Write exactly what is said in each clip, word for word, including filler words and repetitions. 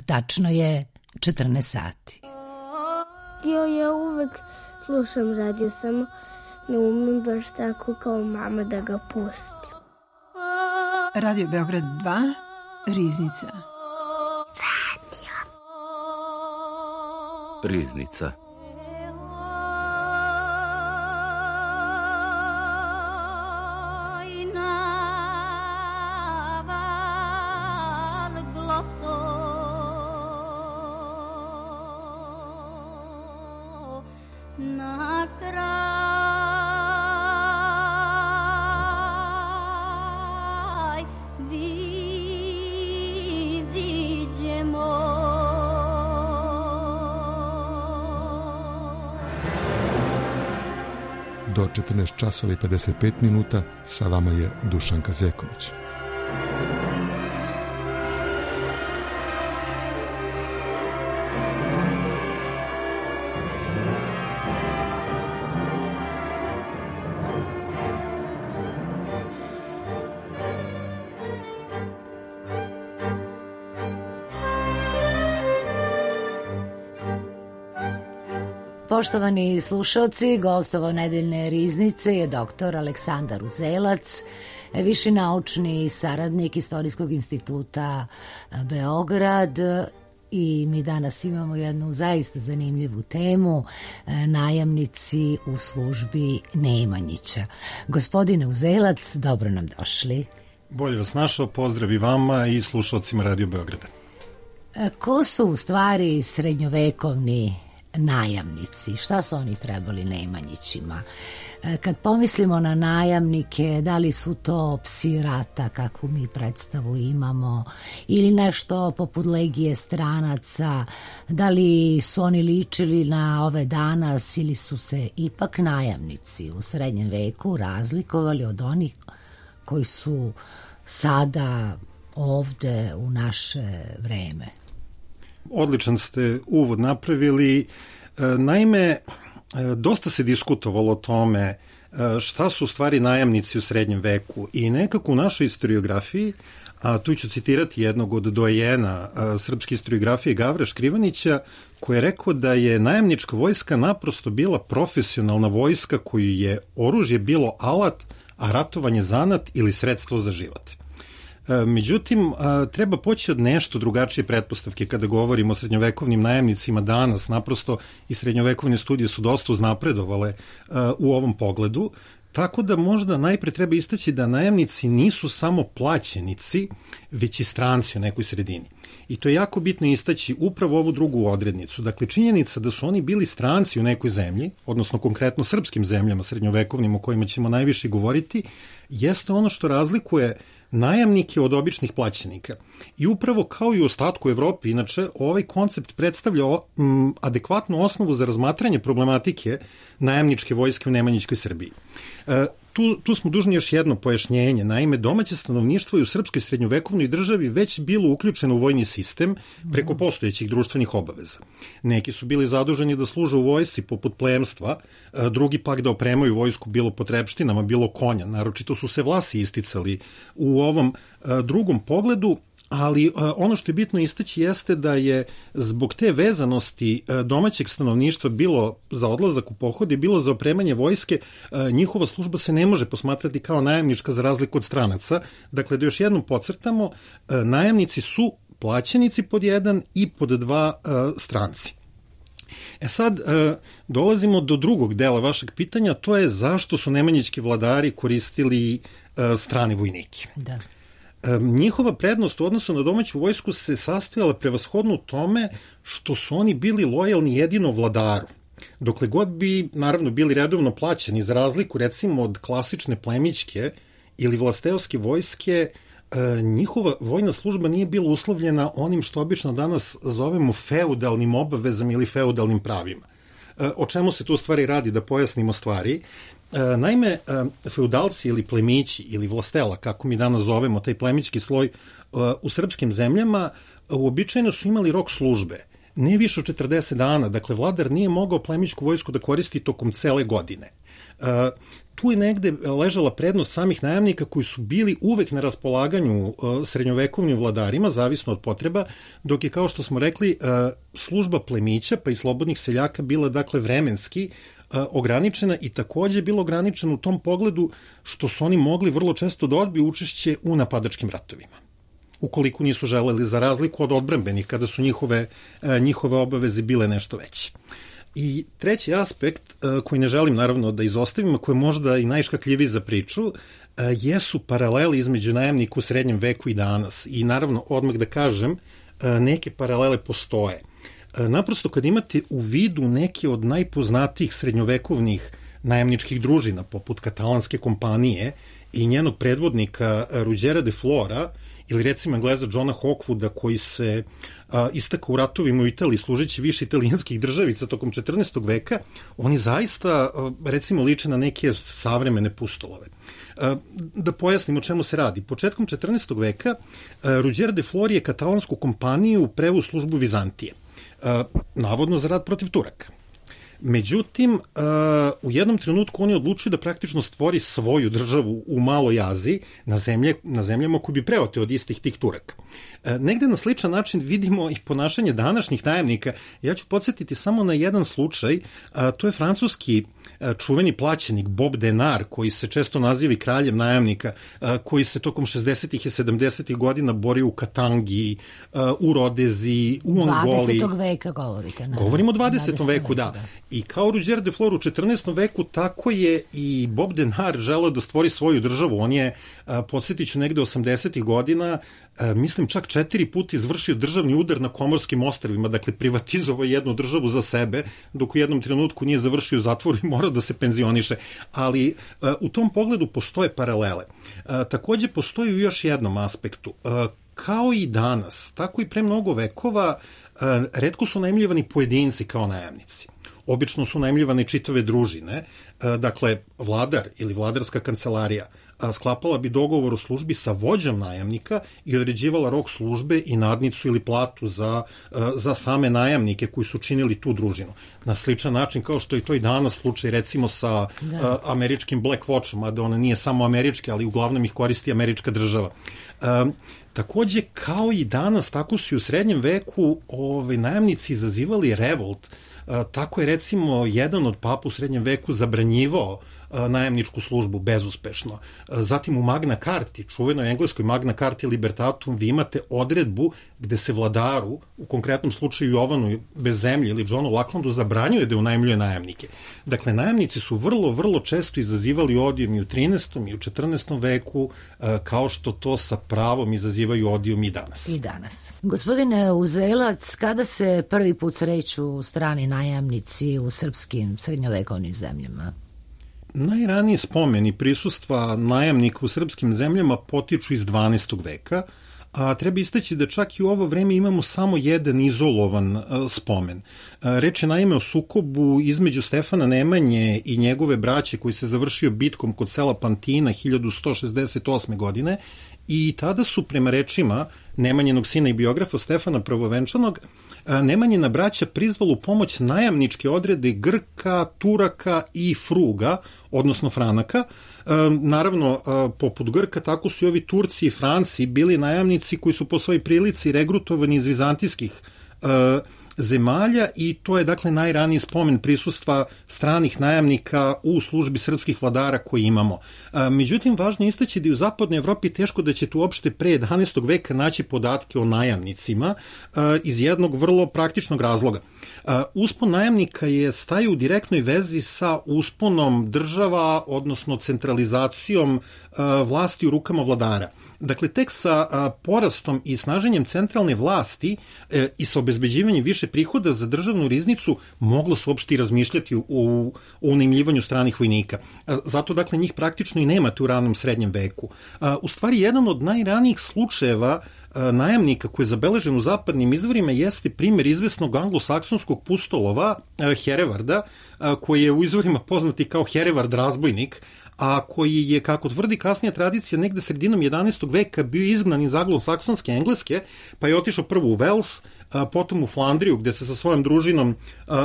Tačno je četrnaest sati. Jo, ja uvek slušam radio, samo ne umem baš tako kao mama da ga pustim. Radio Beograd dva, Riznica. Radio. Riznica. Do četrnaest časova i pedeset pet minuta sa vama je Dušanka Zeković. Poštovani slušalci, gostovo nedeljne Riznice je doktor Aleksandar Uzelac, viši naučni saradnik Istorijskog instituta Beograd, i mi danas imamo jednu zaista zanimljivu temu, najamnici u službi Nemanjića. Gospodine Uzelac, dobro nam došli. Bolje vas našao, pozdrav i vama i slušalcima Radio Beograda. Ko su u stvari srednjovekovni najamnici? Šta su oni trebali Nemanjićima? Kad pomislimo na najamnike, da li su to psi rata, kakvu mi predstavu imamo, ili nešto poput legije stranaca, da li su oni ličili na ove danas ili su se ipak najamnici u srednjem veku razlikovali od onih koji su sada ovde u naše vreme? Odličan ste uvod napravili. Naime, dosta se diskutovalo o tome šta su u stvari najamnici u srednjem veku i nekako u našoj istoriografiji, a tu ću citirati jednog od dojena srpske istoriografije Gavra Škrivanića, koji je rekao da je najamnička vojska naprosto bila profesionalna vojska koju je oružje bilo alat, a ratovanje zanat ili sredstvo za život. Međutim, treba poći od nešto drugačije pretpostavke kada govorimo o srednjovekovnim najamnicima danas. Naprosto i srednjovekovne studije su dosta uznapredovale u ovom pogledu, tako da možda najpre treba istaći da najamnici nisu samo plaćenici, već i stranci u nekoj sredini. I to je jako bitno istaći upravo ovu drugu odrednicu. Dakle, činjenica da su oni bili stranci u nekoj zemlji, odnosno konkretno srpskim zemljama srednjovekovnim o kojima ćemo najviše govoriti, jeste ono što razlikuje najamnike od običnih plaćenika. I upravo kao i u ostatku Evrope, inače, ovaj koncept predstavlja m, adekvatnu osnovu za razmatranje problematike najamničke vojske u Nemanjićkoj Srbiji. E, tu, tu smo dužni još jedno pojašnjenje. Naime, domaće stanovništvo je u srpskoj srednjovekovnoj državi već bilo uključeno u vojni sistem preko postojećih društvenih obaveza. Neki su bili zaduženi da služe u vojsci poput plemstva, drugi pak da opremaju vojsku bilo potrepštinama, bilo konja. Naročito su se Vlasi isticali u ovom drugom pogledu, ali ono što je bitno istaći jeste da je zbog te vezanosti domaćeg stanovništva bilo za odlazak u pohode, bilo za opremanje vojske, njihova služba se ne može posmatrati kao najamnička za razliku od stranaca. Dakle, da još jednom podcrtamo, najamnici su plaćenici pod jedan i pod dva stranci. E sad, dolazimo do drugog dela vašeg pitanja, to je zašto su nemanjićki vladari koristili strane vojnike. Da. Njihova prednost u odnosu na domaću vojsku se sastojala prevashodno u tome što su oni bili lojalni jedino vladaru. Dokle god bi, naravno, bili redovno plaćeni, za razliku recimo od klasične plemićke ili vlasteovske vojske, njihova vojna služba nije bila uslovljena onim što obično danas zovemo feudalnim obavezama ili feudalnim pravima. O čemu se tu u stvari radi, da pojasnimo stvari? Naime, feudalci ili plemići ili vlastela, kako mi danas zovemo taj plemićki sloj u srpskim zemljama, uobičajeno su imali rok službe. ne više od četrdeset dana, dakle vladar nije mogao plemićku vojsku da koristi tokom cele godine. Tu je negde ležala prednost samih najamnika koji su bili uvek na raspolaganju srednjovekovnim vladarima, zavisno od potreba, dok je, kao što smo rekli, služba plemića pa i slobodnih seljaka bila dakle vremenski ograničena i takođe bilo ograničena u tom pogledu što su oni mogli vrlo često da odbiju učešće u napadačkim ratovima, ukoliko nisu želeli, za razliku od odbrambenih, kada su njihove, njihove obaveze bile nešto veće. I treći aspekt, koji ne želim naravno da izostavim, a koji je možda i najškakljiviji za priču, jesu paraleli između najamnika u srednjem veku i danas. I naravno, odmah da kažem, neke paralele postoje. Naprosto, kad imate u vidu neke od najpoznatijih srednjovekovnih najamničkih družina, poput katalanske kompanije i njenog predvodnika Ruđera de Flora, ili recimo Engleza Johna Hawkwooda koji se a, istakao u ratovima u Italiji služeći više italijanskih državica tokom četrnaestog veka, oni zaista a, recimo liče na neke savremene pustolove. A, da pojasnim o čemu se radi. Početkom četrnaestog veka a, Ruđer de Flor je katalansku kompaniju preveo u službu Vizantije, a, navodno za rad protiv Turaka. Međutim, u jednom trenutku on je odlučio da praktično stvori svoju državu u Maloj Aziji na, zemlje, na zemljama koji bi preoteo od istih tih Turaka. Negde na sličan način vidimo i ponašanje današnjih najamnika. Ja ću podsjetiti samo na jedan slučaj, to je francuski čuveni plaćenik Bob Denard, koji se često naziva i kraljem najamnika, koji se tokom šezdesetih i sedamdesetih godina borio u Katangi, u Rodezi, u Angoli. dvadesetog veka govorite. Ne? Govorimo o dvadesetom veku, da. da. I kao Ruđer de Flor u četrnaestom veku, tako je i Bob Denard želeo da stvori svoju državu. On je, podsjetit ću, negde osamdesetih godina, mislim čak četiri puta izvršio državni udar na Komorskim ostrvima, dakle privatizovao jednu državu za sebe, dok u jednom trenutku nije završio u zatvoru i morao da se penzioniše. Ali u tom pogledu postoje paralele. Takođe postoji u još jednom aspektu. Kao i danas, tako i pre mnogo vekova, retko su najmljivani pojedinci kao najamnici. Obično su najmljivane čitave družine, dakle vladar ili vladarska kancelarija sklapala bi dogovor o službi sa vođom najamnika i određivala rok službe i nadnicu ili platu za, za same najamnike koji su činili tu družinu. Na sličan način kao što je to i danas slučaj recimo sa da. američkim Black Watchom, mada ona nije samo američka, ali uglavnom ih koristi američka država. Takođe, kao i danas, tako su i u srednjem veku ovaj, najamnici izazivali revolt. Tako je recimo jedan od papa u srednjem veku zabranjivao najamničku službu bezuspešno. Zatim u Magna Carti, čuvenoj engleskoj Magna Carti Libertatum, vi imate odredbu gde se vladaru, u konkretnom slučaju Jovanu bez zemlje ili Johnu Lacklandu, zabranjuje da unajmljuje najamnike. Dakle, najamnici su vrlo, vrlo često izazivali odijum i u trinaestom i u četrnaestom veku, kao što to sa pravom izazivaju odijum i danas. I danas. Gospodine Uzelac, kada se prvi put sreću strani najamnici u srpskim srednjovekovnim zemljama? Najraniji spomeni prisustva najamnika u srpskim zemljama potiču iz dvanaestog veka, a treba istaći da čak i u ovo vreme imamo samo jedan izolovan spomen. Reč je naime o sukobu između Stefana Nemanje i njegove braće koji se završio bitkom kod sela Pantina hiljadu sto šezdeset osme. godine i tada su prema rečima Nemanjinog sina i biografa Stefana Prvovenčanog Nemanjina braća prizvala u pomoć najamničke odrede Grka, Turaka i Fruga, odnosno Franaka. Naravno, poput Grka, tako su i ovi Turci i Franci bili najamnici koji su po svojoj prilici regrutovani iz vizantijskih zemalja i to je dakle najraniji spomen prisustva stranih najamnika u službi srpskih vladara koji imamo. Međutim, važno je istaći da u zapadnoj Evropi teško da ćete uopšte pre jedanaestog veka naći podatke o najamnicima iz jednog vrlo praktičnog razloga. Uspon najamnika je staju u direktnoj vezi sa usponom država, odnosno centralizacijom vlasti u rukama vladara. Dakle, tek sa porastom i snaženjem centralne vlasti i sa obezbeđivanjem više prihoda za državnu riznicu moglo se uopšte i razmišljati o, o unajmljivanju stranih vojnika. Zato, dakle, njih praktično i nemate u ranom srednjem veku. U stvari, jedan od najranijih slučajeva najamnika koji je zabeležen u zapadnim izvorima jeste primjer izvesnog anglosaksonskog pustolova Herevarda, koji je u izvorima poznati kao Herevard razbojnik, a koji je, kako tvrdi kasnija tradicija, negde sredinom jedanaestog veka bio izgnan iz anglosaksonske Engleske, pa je otišao prvo u Wales, potom u Flandriju, gde se sa svojom družinom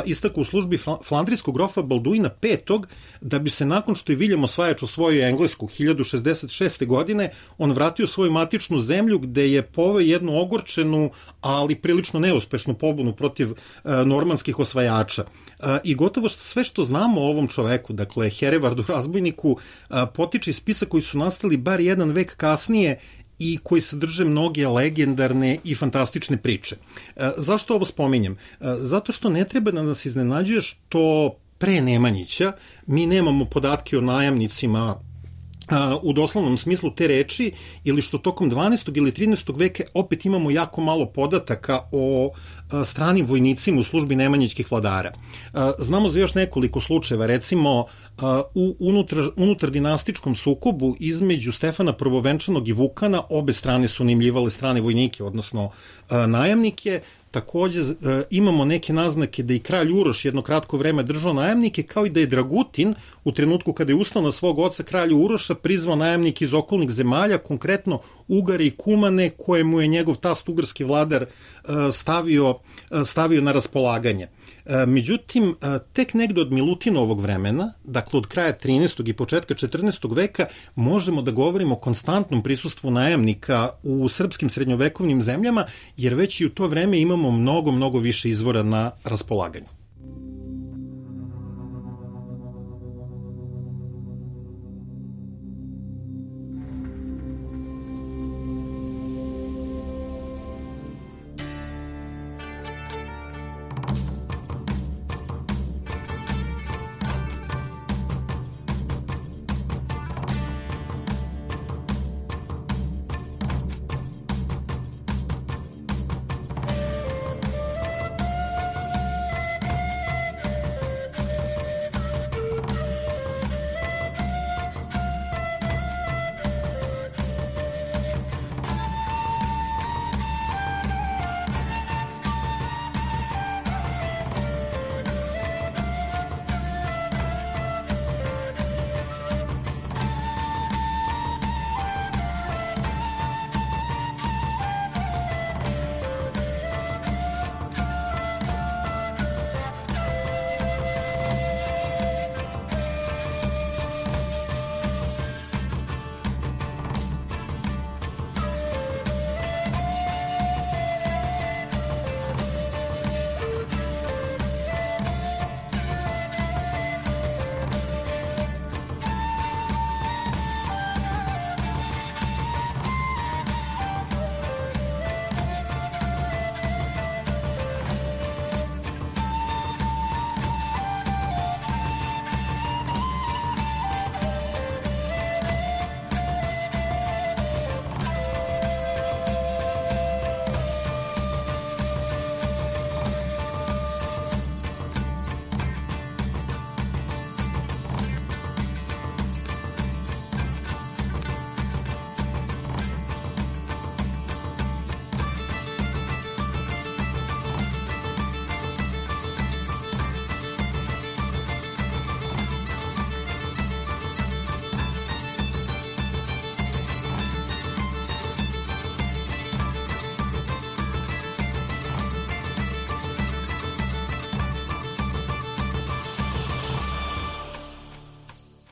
istakao u službi flandrijskog grofa Balduina petog, da bi se nakon što je Viljem Osvajač osvojio Englesku hiljadu šezdeset šeste. godine, on vratio svoju matičnu zemlju gde je poveo jednu ogorčenu, ali prilično neuspešnu pobunu protiv normanskih osvajača. I gotovo sve što znamo o ovom čoveku, dakle Herevardu razbojniku, potiče iz spisa koji su nastali bar jedan vek kasnije i koji sadrže mnoge legendarne i fantastične priče. Zašto ovo spominjem? Zato što ne treba da nas iznenađuje što pre Nemanjića mi nemamo podatke o najamnicima u doslovnom smislu te reči, ili što tokom dvanaestog ili trinaestog veka opet imamo jako malo podataka o stranim vojnicima u službi nemanjićkih vladara. Znamo za još nekoliko slučajeva, recimo u unutar, unutar dinastičkom sukobu između Stefana Prvovenčanog i Vukana, obe strane su unajmljivale strane vojnike, odnosno najamnike. Takođe imamo neke naznake da i kralj Uroš jedno kratko vreme držao najamnike, kao i da je Dragutin u trenutku kada je ustao na svog oca kralja Uroša prizvao najamnike iz okolnih zemalja, konkretno Ugare i Kumane, koje mu je njegov tast ugarski vladar stavio, stavio na raspolaganje. Međutim, tek negde od Milutinovog vremena, dakle od kraja trinaestog i početka četrnaestog veka, možemo da govorimo o konstantnom prisustvu najamnika u srpskim srednjovekovnim zemljama, jer već i u to vreme imamo mnogo, mnogo više izvora na raspolaganju.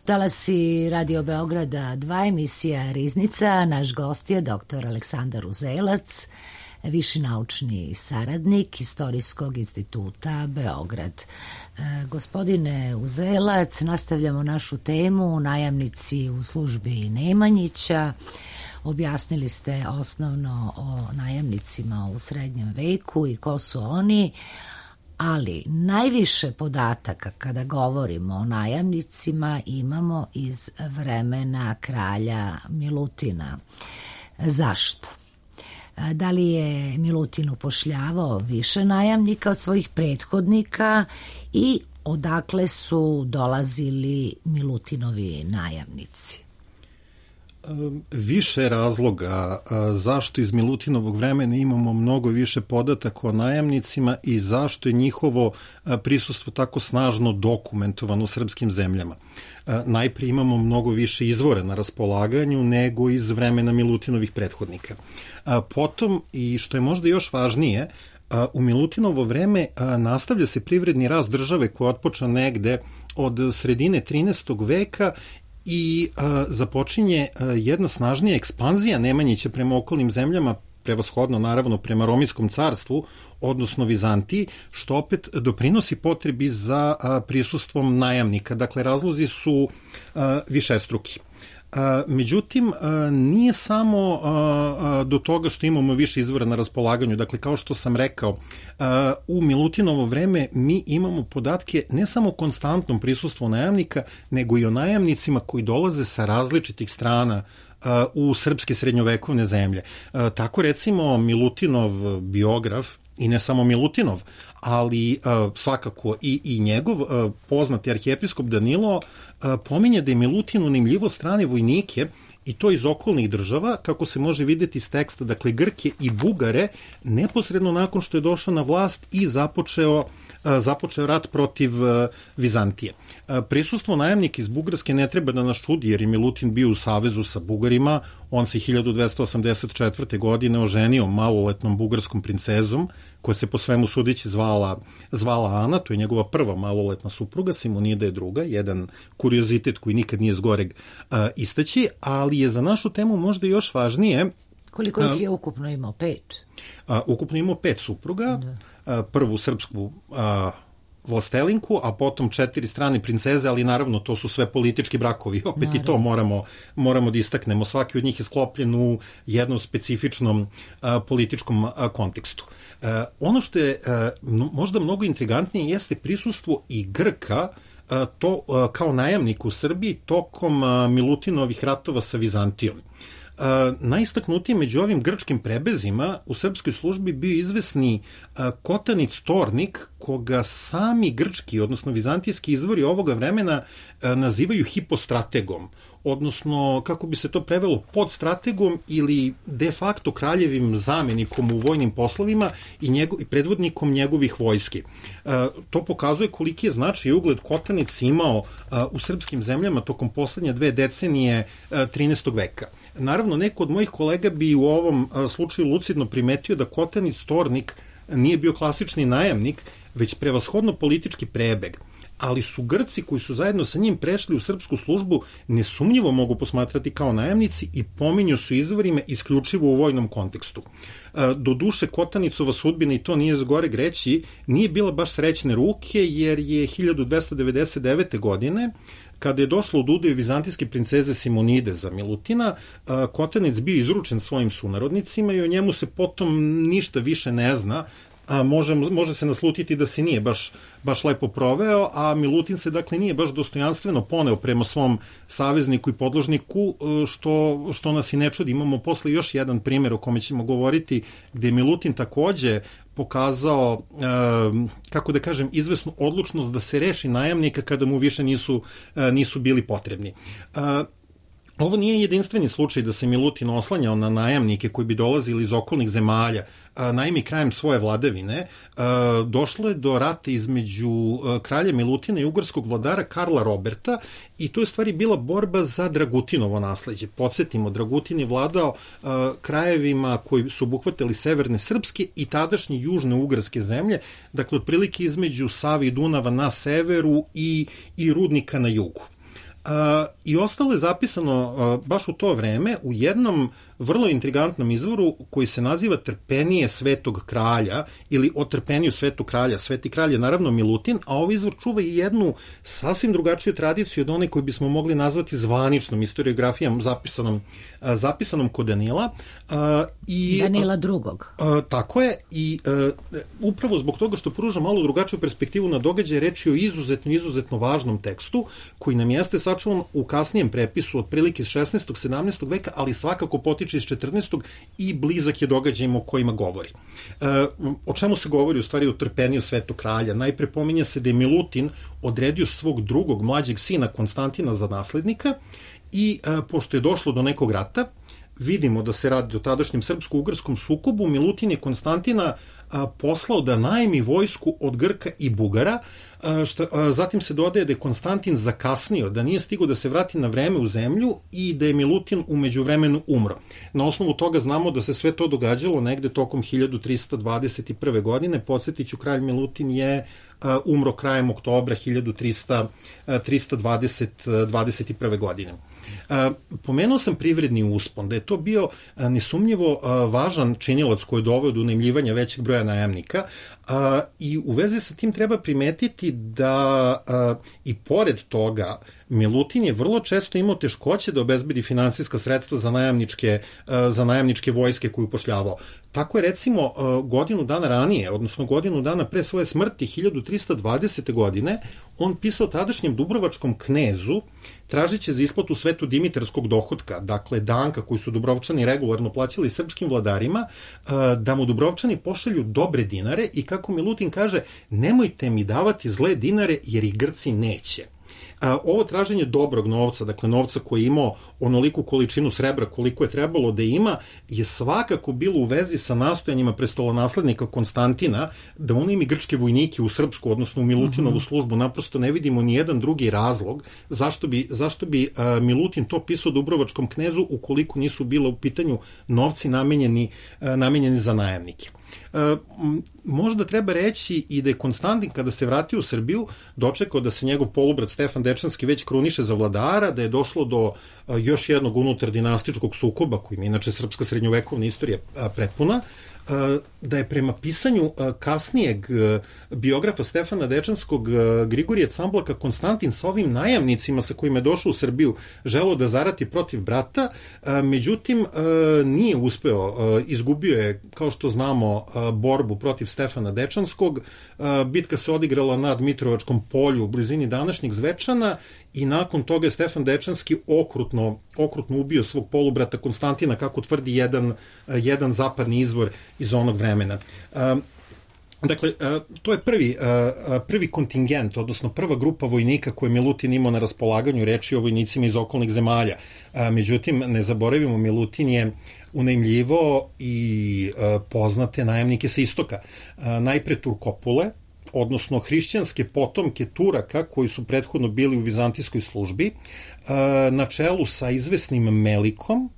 Talasi Radio Beograda dva, emisija Riznica. Naš gost je doktor Aleksandar Uzelac, viši naučni saradnik Istorijskog instituta Beograd. E, gospodine Uzelac, nastavljamo našu temu najamnici u službi Nemanjića. Objasnili ste osnovno o najamnicima u srednjem veku i ko su oni, ali najviše podataka kada govorimo o najamnicima imamo iz vremena kralja Milutina. Zašto? Da li je Milutin upošljavao više najamnika od svojih prethodnika i odakle su dolazili Milutinovi najamnici? Više razloga zašto iz Milutinovog vremena imamo mnogo više podataka o najamnicima i zašto je njihovo prisustvo tako snažno dokumentovano u srpskim zemljama. Najprije imamo mnogo više izvora na raspolaganju nego iz vremena Milutinovih prethodnika. Potom, i što je možda još važnije, U Milutinovo vreme nastavlja se privredni rast države koja je otpočeo negde od sredine trinaestog veka i započinje jedna snažnija ekspanzija Nemanjića prema okolnim zemljama, prevashodno naravno prema Romijskom carstvu, odnosno Vizantiji, što opet doprinosi potrebi za prisustvom najamnika. Dakle, razlozi su višestruki. Međutim, nije samo do toga što imamo više izvora na raspolaganju. Dakle, kao što sam rekao, u Milutinovo vreme mi imamo podatke ne samo o konstantnom prisustvu najamnika, nego i o najamnicima koji dolaze sa različitih strana u srpske srednjovekovne zemlje. Tako recimo Milutinov biograf, i ne samo Milutinov, ali uh, svakako i, i njegov uh, poznati arhijepiskop Danilo uh, pominje da je Milutin unimljivo strane vojnike, i to iz okolnih država, kako se može videti iz teksta, dakle Grke i Bugare, neposredno nakon što je došao na vlast i započeo započeo rat protiv Vizantije. Prisustvo najamnika iz Bugarske ne treba da nas čudi, jer je Milutin bio u savezu sa Bugarima. On se hiljadu dvesta osamdeset četvrte. godine oženio maloletnom bugarskom princezom, koja se po svemu sudeći zvala, zvala Ana, to je njegova prva maloletna supruga, Simonida je druga, jedan kuriozitet koji nikad nije zgoreg uh, istaći, ali je za našu temu možda još važnije. Koliko ih je ukupno imao? Pet? Uh, ukupno imao pet supruga, da. uh, prvu srpsku uh, vlastelinku, a potom četiri strane princeze, ali naravno to su sve politički brakovi, opet naravno. I to moramo, moramo da istaknemo. Svaki od njih je sklopljen u jednom specifičnom a, političkom a, kontekstu. A, ono što je a, možda mnogo intrigantnije jeste prisustvo i Grka a, to a, kao najamnik u Srbiji tokom a, Milutinovih ratova sa Vizantijom. Uh, najistaknutiji među ovim grčkim prebezima u srpskoj službi bio izvesni uh, Kotanic Tornik, koga sami grčki, odnosno vizantijski izvori ovoga vremena uh, nazivaju hipostrategom, odnosno, kako bi se to prevelo, podstrategom ili de facto kraljevim zamenikom u vojnim poslovima i, njego, i predvodnikom njegovih vojski. Uh, to pokazuje koliki je značaj i ugled Kotanic imao uh, u srpskim zemljama tokom poslednje dve decenije uh, trinaestog veka. Naravno, neko od mojih kolega bi u ovom uh, slučaju lucidno primetio da Kotanic Tornik nije bio klasični najamnik, već prevashodno politički prebeg. Ali su Grci koji su zajedno sa njim prešli u srpsku službu nesumnjivo mogu posmatrati kao najamnici i pominju su izvorima isključivo u vojnom kontekstu. Do duše, Kotanicova sudbina, i to nije zgoreg reći, nije bila baš srećne ruke, jer je hiljadu dvesta devedeset devete. godine, kada je došlo od udaje vizantijske princeze Simonide za Milutina, Kotanic bio izručen svojim sunarodnicima i o njemu se potom ništa više ne zna. A može, može se naslutiti da se nije baš, baš lepo proveo, a Milutin se dakle nije baš dostojanstveno poneo prema svom savezniku i podložniku, što, što nas i ne čudi. Imamo posle još jedan primjer o kome ćemo govoriti, gde je Milutin takođe pokazao, kako da kažem, izvesnu odlučnost da se reši najamnika kada mu više nisu, nisu bili potrebni. Ovo nije jedinstveni slučaj da se Milutin oslanjao na najamnike koji bi dolazili iz okolnih zemalja. Naime, krajem svoje vladavine došlo je do rata između kralja Milutina i ugarskog vladara Karla Roberta, i to je stvari bila borba za Dragutinovo nasleđe. Podsjetimo, Dragutin je vladao krajevima koji su obuhvatili severne srpske i tadašnje južne ugarske zemlje, dakle otprilike između Save i Dunava na severu i, i Rudnika na jugu. Uh, I ostalo je zapisano uh, baš u to vreme u jednom vrlo intrigantnom izvoru koji se naziva Trpenije svetog kralja ili o trpeniju svetog kralja. Sveti kralj je naravno Milutin, a ovaj izvor čuva i jednu sasvim drugačiju tradiciju od one koju bismo mogli nazvati zvaničnom historiografijom zapisanom, uh, zapisanom kod Danila. Uh, i, Danila drugog. Uh, tako je, i uh, upravo zbog toga što pruža malo drugačiju perspektivu na događaje, reč je o izuzetno, izuzetno važnom tekstu koji nam jeste sačuvan u kasnijem prepisu otprilike iz šesnaestog sedamnaestog veka, ali svakako potiče iz četrnaestog i blizak je događajima o kojima govori. E, o čemu se govori u stvari o trpeniju svetog kralja? Najpre pominje se da je Milutin odredio svog drugog mlađeg sina Konstantina za naslednika i e, pošto je došlo do nekog rata, vidimo da se radi o tadašnjem srpsko-ugarskom sukobu, Milutin je Konstantina a, poslao da najmi vojsku od Grka i Bugara, a, šta, a, zatim se dodaje da je Konstantin zakasnio, da nije stigao da se vrati na vreme u zemlju i da je Milutin u međuvremenu umro. Na osnovu toga znamo da se sve to događalo negde tokom hiljadu trista dvadeset prve. godine. Podsjetiću, kralj Milutin je a, umro krajem oktobra hiljadu trista dvadeset prve. godine. Uh, pomenuo sam privredni uspon, da je to bio uh, nesumnjivo uh, važan činilac koji je doveo do unajmljivanja većeg broja najamnika, uh, i u vezi sa tim treba primetiti da uh, i pored toga Milutin je vrlo često imao teškoće da obezbedi finansijska sredstva za najamničke, uh, za najamničke vojske koju upošljavao. Tako je recimo uh, godinu dana ranije, odnosno godinu dana pre svoje smrti, hiljadu trista dvadesete. godine, on pisao tadašnjem dubrovačkom knezu tražiće za isplatu svetu dimitarskog dohotka, dakle danka koji su Dubrovčani regularno plaćali srpskim vladarima, da mu Dubrovčani pošalju dobre dinare i, kako Milutin kaže, nemojte mi davati zle dinare jer i Grci neće. Ovo traženje dobrog novca, dakle novca koji je imao onoliku količinu srebra koliko je trebalo da ima, je svakako bilo u vezi sa nastojanjima prestolonaslednika Konstantina da unajmi grčke vojnike u srpsku, odnosno u Milutinovu službu. Naprosto ne vidimo ni jedan drugi razlog zašto bi, zašto bi uh, Milutin to pisao dubrovačkom knezu ukoliko nisu bila u pitanju novci namenjeni, uh, namenjeni za najamnike. E, možda treba reći i da je Konstantin, kada se vratio u Srbiju, dočekao da se njegov polubrat Stefan Dečanski već kruniše za vladara, da je došlo do a, još jednog unutar dinastičkog sukoba, kojim inače srpska srednjovekovna istorija a, prepuna, a, da je prema pisanju a, kasnijeg a, biografa Stefana Dečanskog, a, Grigorije Camblaka, Konstantin sa ovim najamnicima sa kojima je došao u Srbiju želeo da zarati protiv brata, a, međutim a, nije uspeo, a, izgubio je, kao što znamo, borbu protiv Stefana Dečanskog. Bitka se odigrala na Dmitrovačkom polju u blizini današnjeg Zvečana i nakon toga je Stefan Dečanski okrutno, okrutno ubio svog polubrata Konstantina, kako tvrdi jedan, jedan zapadni izvor iz onog vremena. Dakle, to je prvi, prvi kontingent, odnosno prva grupa vojnika koje Milutin imao na raspolaganju, reči o vojnicima iz okolnih zemalja. Međutim, ne zaboravimo, Milutin je unajmljivo i poznate najamnike sa istoka. Najpre Turkopule, odnosno hrišćanske potomke Turaka koji su prethodno bili u vizantijskoj službi, na čelu sa izvesnim Melikom,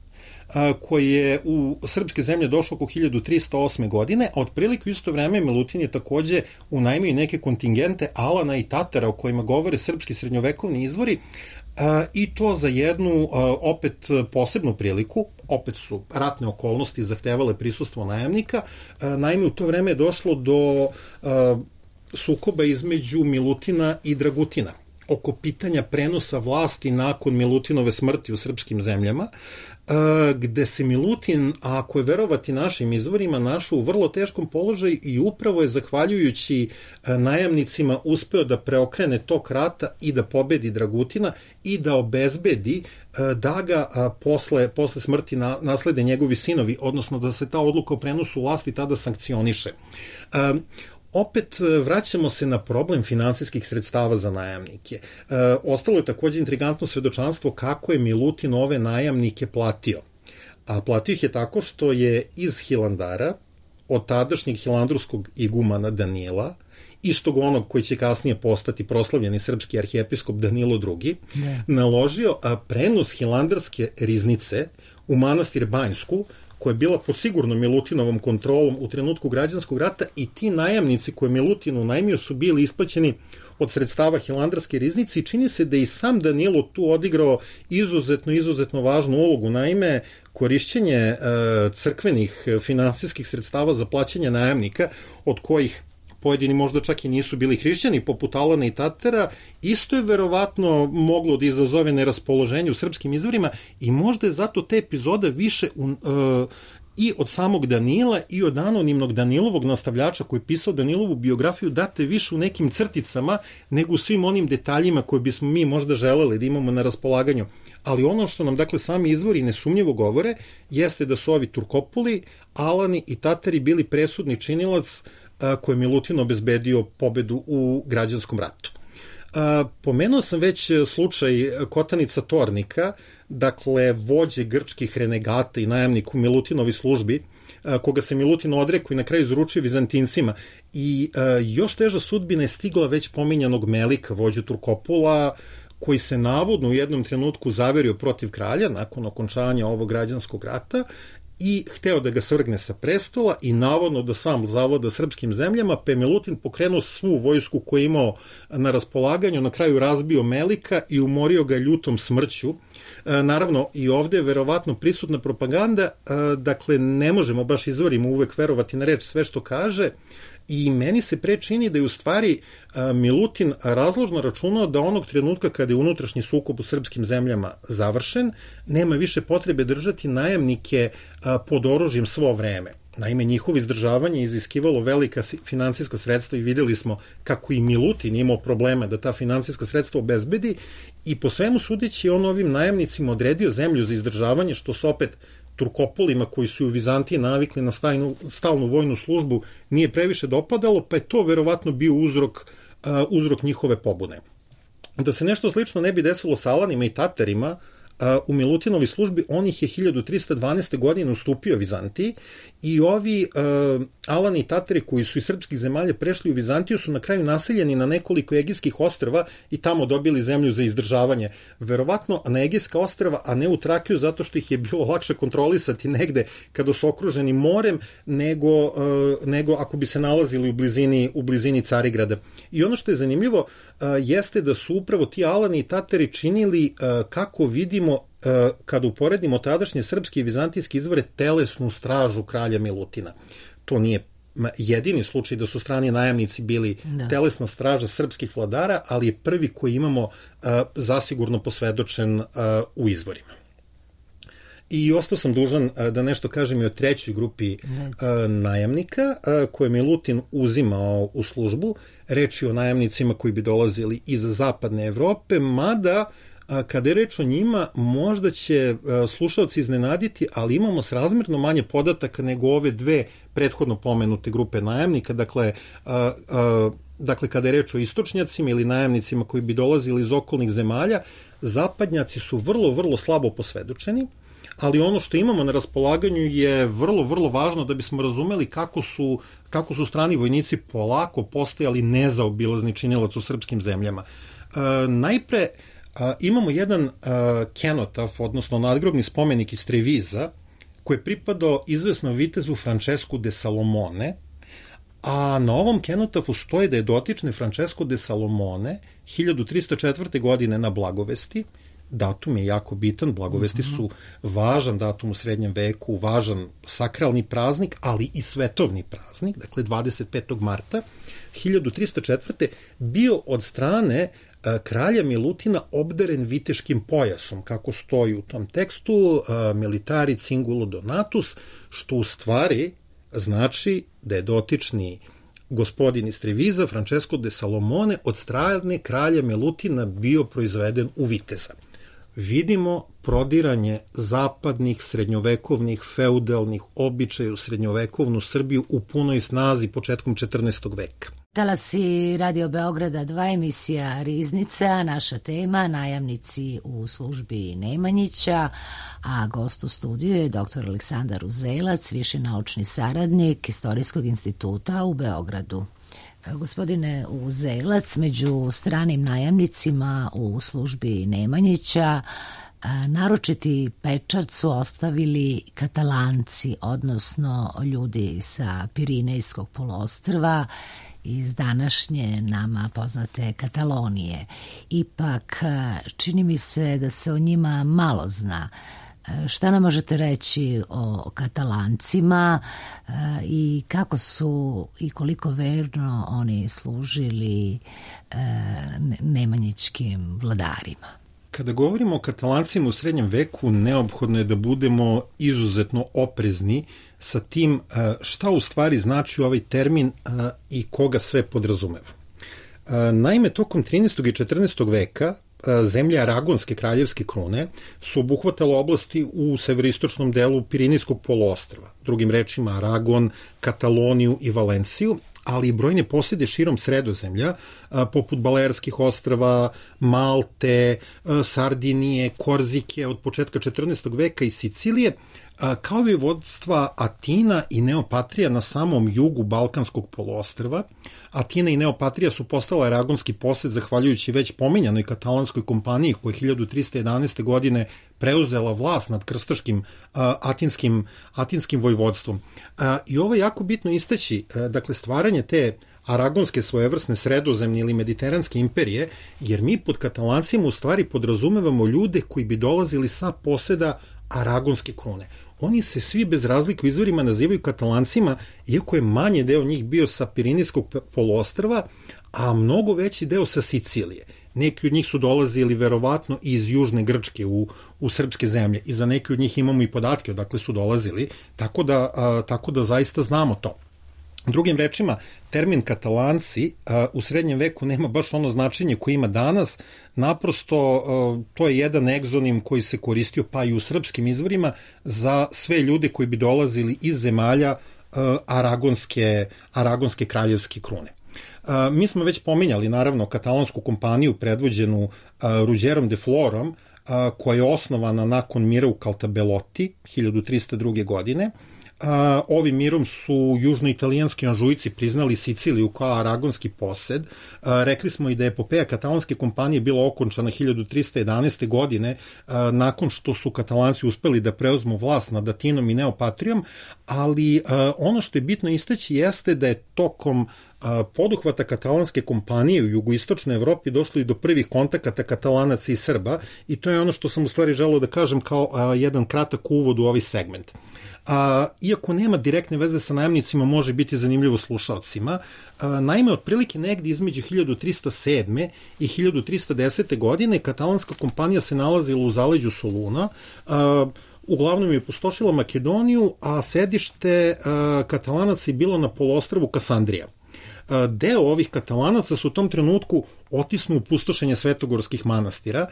koji je u srpske zemlje došao oko hiljadu trista osme. godine, a otprilike u isto vreme Milutin je takođe unajmio neke kontingente Alana i Tatara o kojima govore srpski srednjovekovni izvori, i to za jednu opet posebnu priliku. Opet su ratne okolnosti zahtevale prisustvo najamnika. Naime, u to vreme je došlo do sukoba između Milutina i Dragutina oko pitanja prenosa vlasti nakon Milutinove smrti u srpskim zemljama, gde se Milutin, ako je verovati našim izvorima, našao u vrlo teškom položaju i upravo je zahvaljujući najamnicima uspeo da preokrene tok rata i da pobedi Dragutina i da obezbedi da ga posle, posle smrti naslede njegovi sinovi, odnosno da se ta odluka o prenosu vlasti tada sankcioniše. Opet vraćamo se na problem finansijskih sredstava za najamnike. E, ostalo je takođe intrigantno svedočanstvo kako je Milutin ove najamnike platio. A platio ih je tako što je iz Hilandara, od tadašnjeg hilandurskog igumana Danila, istog onog koji će kasnije postati proslavljeni srpski arhijepiskop Danilo drugi, ne. naložio prenos hilandarske riznice u manastir Banjsku, koja je bila pod sigurno Milutinovom kontrolom u trenutku građanskog rata, i ti najamnici koje Milutin unajmio su bili isplaćeni od sredstava hilandarske riznice i čini se da i sam Danilo tu odigrao izuzetno, izuzetno važnu ulogu. Naime, korišćenje e, crkvenih finansijskih sredstava za plaćanje najamnika, od kojih pojedini možda čak i nisu bili hrišćani, poput Alana i Tatara, isto je verovatno moglo da izazove neraspoloženje u srpskim izvorima i možda je zato te epizode više u, uh, i od samog Danila i od anonimnog Danilovog nastavljača koji je pisao Danilovu biografiju date više u nekim crticama nego u svim onim detaljima koje bismo mi možda želeli da imamo na raspolaganju. Ali ono što nam, dakle, sami izvori nesumnjivo govore jeste da su ovi Turkopuli, Alani i Tatari bili presudni činilac koje je Milutin obezbedio pobedu u građanskom ratu. Pomenuo sam već slučaj Kotanica Tornika, dakle vođe grčkih renegata i najamnik u Milutinovoj službi, koga se Milutin odrekao i na kraju izručio Vizantincima. I još teža sudbina je stigla već pominjanog Melika, vođu Turkopula, koji se navodno u jednom trenutku zaverio protiv kralja nakon okončanja ovog građanskog rata i hteo da ga svrgne sa prestola i navodno da sam zavlada srpskim zemljama, pa je Milutin pokrenuo svu vojsku koju je imao na raspolaganju, na kraju razbio Melika i umorio ga ljutom smrću. Naravno, i ovde je verovatno prisutna propaganda, dakle ne možemo baš izvorimo uvek verovati na reč sve što kaže, i meni se pre čini da je u stvari Milutin razložno računao da onog trenutka kada je unutrašnji sukob u srpskim zemljama završen, nema više potrebe držati najamnike pod oružjem svo vreme. Naime, njihovo izdržavanje iziskivalo velika finansijska sredstva i videli smo kako i Milutin imao probleme da ta finansijska sredstva obezbedi i po svemu sudeći on ovim najamnicima odredio zemlju za izdržavanje, što se opet Turkopolima koji su u Vizantiji navikli na stalnu, stalnu vojnu službu nije previše dopadalo, pa je to verovatno bio uzrok, uh, uzrok njihove pobune. Da se nešto slično ne bi desilo sa Alanima i Tatarima, u Milutinovoj službi on ih je hiljadu trista dvanaeste. godine ustupio Vizantiji i ovi uh, Alani i Tatari koji su iz srpskih zemalja prešli u Vizantiju su na kraju naseljeni na nekoliko egejskih ostrva i tamo dobili zemlju za izdržavanje. Verovatno na egejska ostrva, a ne u Trakiju, zato što ih je bilo lakše kontrolisati negde kada su okruženi morem nego, uh, nego ako bi se nalazili u blizini, u blizini Carigrada. I ono što je zanimljivo uh, jeste da su upravo ti Alani i Tatari činili, uh, kako vidimo, kada uporedimo tadašnje srpske i vizantijske izvore, telesnu stražu kralja Milutina. To nije jedini slučaj da su strani najamnici bili da. telesna straža srpskih vladara, ali je prvi koji imamo uh, zasigurno posvedočen uh, u izvorima. I ostao sam dužan uh, da nešto kažem i o trećoj grupi uh, najamnika uh, koje Milutin uzimao u službu. Reč je o najamnicima koji bi dolazili iz zapadne Evrope, mada kada je reč o njima, možda će slušalci iznenaditi, ali imamo srazmerno manje podataka nego ove dve prethodno pomenute grupe najamnika. Dakle, a, a, dakle kada je reč o istočnjacima ili najamnicima koji bi dolazili iz okolnih zemalja, zapadnjaci su vrlo, vrlo slabo posvedočeni, ali ono što imamo na raspolaganju je vrlo, vrlo važno da bismo razumeli kako su, kako su strani vojnici polako postajali nezaobilazni činilac u srpskim zemljama. A, najpre, A, imamo jedan a, kenotaf, odnosno nadgrobni spomenik iz Treviza, koji je pripadao izvesnom vitezu Francesku de Salomone, a na ovom kenotafu stoji da je dotični Francesco de Salomone hiljadu trista četvrte. godine na Blagovesti. Datum je jako bitan, Blagovesti su važan datum u srednjem veku, važan sakralni praznik, ali i svetovni praznik, dakle dvadeset petog marta hiljadu trista četvrte. bio od strane kralja Milutina obdaren viteškim pojasom, kako stoji u tom tekstu, militari cingulo donatus, što u stvari znači da je dotični gospodin iz Treviza, Francesco de Salomone, od strane kralja Milutina bio proizveden u viteza. Vidimo prodiranje zapadnih, srednjovekovnih, feudalnih običaja u srednjovekovnu Srbiju u punoj snazi početkom četrnaestog. veka. Talasi Radio Beograda dva, emisija Riznica, naša tema najamnici u službi Nemanjića, a gost u studiju je doktor Aleksandar Uzelac, viši naučni saradnik Istorijskog instituta u Beogradu. Gospodine Uzelac, među stranim najamnicima u službi Nemanjića naročiti pečat su ostavili Katalanci, odnosno ljudi sa Pirinejskog poluostrva iz današnje nama poznate Katalonije. Ipak, čini mi se da se o njima malo zna. Šta nam možete reći o Katalancima i kako su i koliko verno oni služili nemanjićkim vladarima? Kada govorimo o Katalancima u srednjem veku, neophodno je da budemo izuzetno oprezni sa tim šta u stvari znači ovaj termin i koga sve podrazumeva. Naime, tokom trinaestog i četrnaestog. veka zemlje Aragonske kraljevske krune su obuhvatale oblasti u severoistočnom delu Pirinejskog poluostrva, drugim rečima Aragon, Kataloniju i Valenciju, ali i brojne posjede širom Sredozemlja, poput Balearskih ostrava, Malte, Sardinije, Korzike od početka četrnaestog veka i Sicilije, kao i vodstva Atina i Neopatrija na samom jugu Balkanskog poluostrva. Atina i Neopatrija su postala aragonski posed zahvaljujući već pominjanoj katalanskoj kompaniji koja je hiljadu trista jedanaeste. godine preuzela vlast nad krstaškim uh, atinskim, atinskim vojvodstvom. Uh, I ovo je jako bitno istaći, uh, dakle stvaranje te aragonske svojevrsne sredozemne ili mediteranske imperije, jer mi pod Katalancima u stvari podrazumevamo ljude koji bi dolazili sa poseda aragonske krune. Oni se svi bez razlike u izvorima nazivaju Katalancima, iako je manje deo njih bio sa Pirinejskog poluostrva, a mnogo veći deo sa Sicilije. Neki od njih su dolazili verovatno iz južne Grčke u, u srpske zemlje i za neki od njih imamo i podatke odakle su dolazili, tako da, a, tako da zaista znamo to. Drugim rečima, termin Katalanci a, u srednjem veku nema baš ono značenje koje ima danas, naprosto a, to je jedan egzonim koji se koristio pa i u srpskim izvorima za sve ljude koji bi dolazili iz zemalja a, aragonske, aragonske kraljevske krune. A, mi smo već pominjali naravno katalonsku kompaniju predvođenu a, Ruđerom de Florom, a, koja je osnovana nakon mira u Caltabellotti hiljadu trista druge. godine. Uh, ovim mirom su južnoitalijanski Anžujci priznali Siciliju kao aragonski posed. Uh, rekli smo i da je epopeja katalonske kompanije bila okončana hiljadu trista jedanaeste. godine uh, nakon što su Katalanci uspeli da preuzmu vlast nad Atinom i Neopatrijom, ali uh, ono što je bitno istaći jeste da je tokom uh, poduhvata katalanske kompanije u jugoistočnoj Evropi došlo i do prvih kontakata Katalanaca i Srba i to je ono što sam u stvari želeo da kažem kao uh, jedan kratak uvod u ovaj segment. A, iako nema direktne veze sa najamnicima, može biti zanimljivo slušalcima. A, naime, otprilike negdje između hiljadu trista sedme. i hiljadu trista desete. godine katalanska kompanija se nalazila u zaleđu Soluna, a, uglavnom je pustošila Makedoniju, a sedište a, Katalanaca je bilo na poluostrvu Kasandrija. Deo ovih Katalanaca su u tom trenutku otisnu u pustošenje svetogorskih manastira.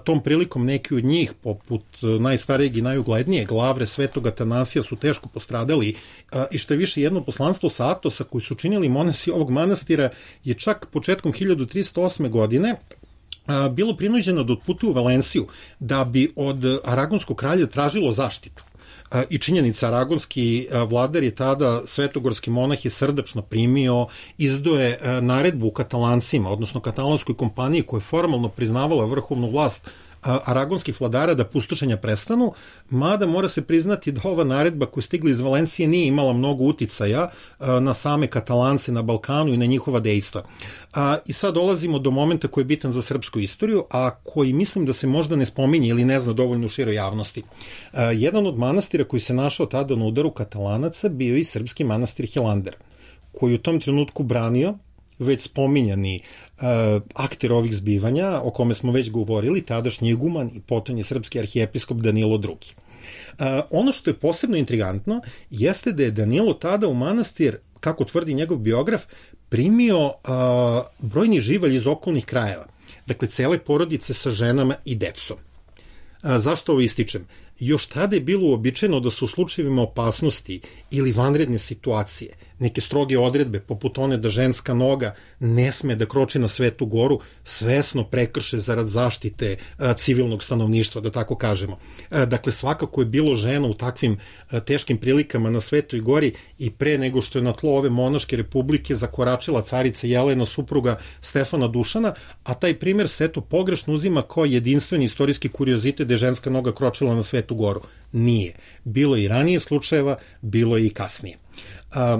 Tom prilikom neki od njih, poput najstarijeg i najuglednijeg Lavre Svetog Atanasija, su teško postradali i što je više jedno poslanstvo sa Atosa koji su činili monasi ovog manastira je čak početkom hiljadu trista osme. godine bilo prinuđeno da otputuju u Valenciju da bi od aragonskog kralja tražilo zaštitu. I činjenica, aragonski vladar je tada svetogorski monah je srdačno primio, izdoje naredbu Katalancima, odnosno katalanskoj kompaniji koja je formalno priznavala vrhovnu vlast aragonskih vladara da pustošenja prestanu, mada mora se priznati da ova naredba koja je stigla iz Valencije nije imala mnogo uticaja na same Katalance na Balkanu i na njihova dejstva. I sad dolazimo do momenta koji je bitan za srpsku istoriju, a koji mislim da se možda ne spominje ili ne zna dovoljno u široj javnosti. Jedan od manastira koji se našao tada na udaru Katalanaca bio i srpski manastir Hilandar, koji u tom trenutku branio već spominjani uh, akter ovih zbivanja, o kome smo već govorili, tadašnji iguman i potonji srpski arhijepiskop Danilo drugi. Uh, ono što je posebno intrigantno jeste da je Danilo tada u manastir, kako tvrdi njegov biograf, primio uh, brojni živalj iz okolnih krajeva. Dakle, cele porodice sa ženama i decom. Uh, zašto ovo ističem? Još tada je bilo uobičajeno da su u slučajevima opasnosti ili vanredne situacije neke stroge odredbe, poput one da ženska noga ne sme da kroči na Svetu goru, svesno prekrše zarad zaštite a, civilnog stanovništva, da tako kažemo. A, dakle, svakako je bilo žena u takvim a, teškim prilikama na Svetoj gori i pre nego što je na tlo ove monaške republike zakoračila carica Jelena, supruga Stefana Dušana, a taj primer se eto pogrešno uzima kao jedinstveni istorijski kuriozitet da je ženska noga kročila na Svetu goru. Nije. Bilo je i ranije slučajeva, bilo je i kasnije. A,